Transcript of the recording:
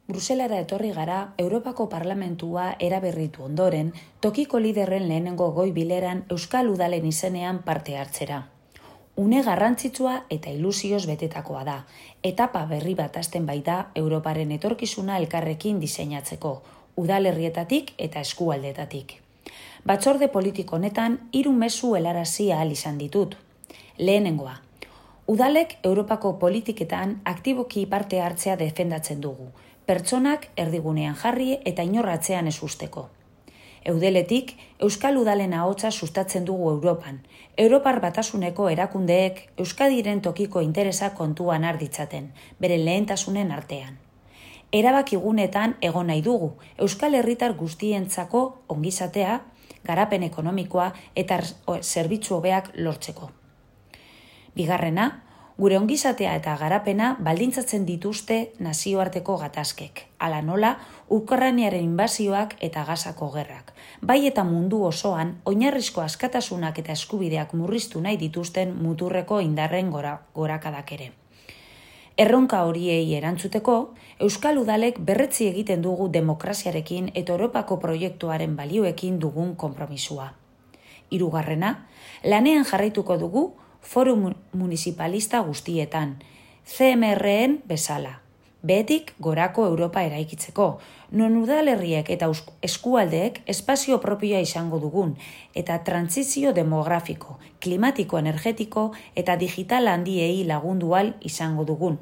Bruselara etorri gara Europako Parlamentua eraberritu ondoren, tokiko liderren lehenengo goi bileran Euskal Udalen izenean parte hartzera. Une garrantzitsua eta ilusioz betetakoa da, etapa berri bat hasten baita Europaren etorkizuna elkarrekin diseinatzeko, udalerrietatik eta eskualdetatik. Batzorde politiko honetan 3 mezu helarazi ahal izan ditut. Lehenengoa, udalek Europako politiketan aktiboki parte hartzea defendatzen dugu, pertsonak erdigunean jarri eta inorratzean ez usteko. Eudeletik, Euskal Udalen ahotsa sustatzen dugu Europan. Europar Batasuneko erakundeek Euskadiren tokiko interesa kontuan har ditzaten, beren lehentasunen artean. Erabakigunetan egon nahi dugu, Euskal Herritar guztientzako ongizatea, garapen ekonomikoa eta zerbitzu hobeak lortzeko. Bigarrena, gure ongizatea eta garapena baldintzatzen dituzte nazioarteko gatazkek, hala nola Ukrainaren inbasioak eta Gazako gerrak, bai eta mundu osoan oinarrizko askatasunak eta eskubideak murriztu nahi dituzten muturreko indarren gorakadak ere. Erronka horiei erantzuteko, Euskal Udalek berretzi egiten dugu demokraziarekin eta Europako proiektuaren balioekin dugun konpromisua. Hirugarrena, lanean jarraituko dugu foru municipalista guztietan, CMR-en bezala, behetik gorako Europa eraikitzeko, non udalerriek eta eskualdeek espazio propioa izango dugun, eta trantsizio demografiko, klimatiko, energetiko eta digital handiei lagundu ahal izango dugun.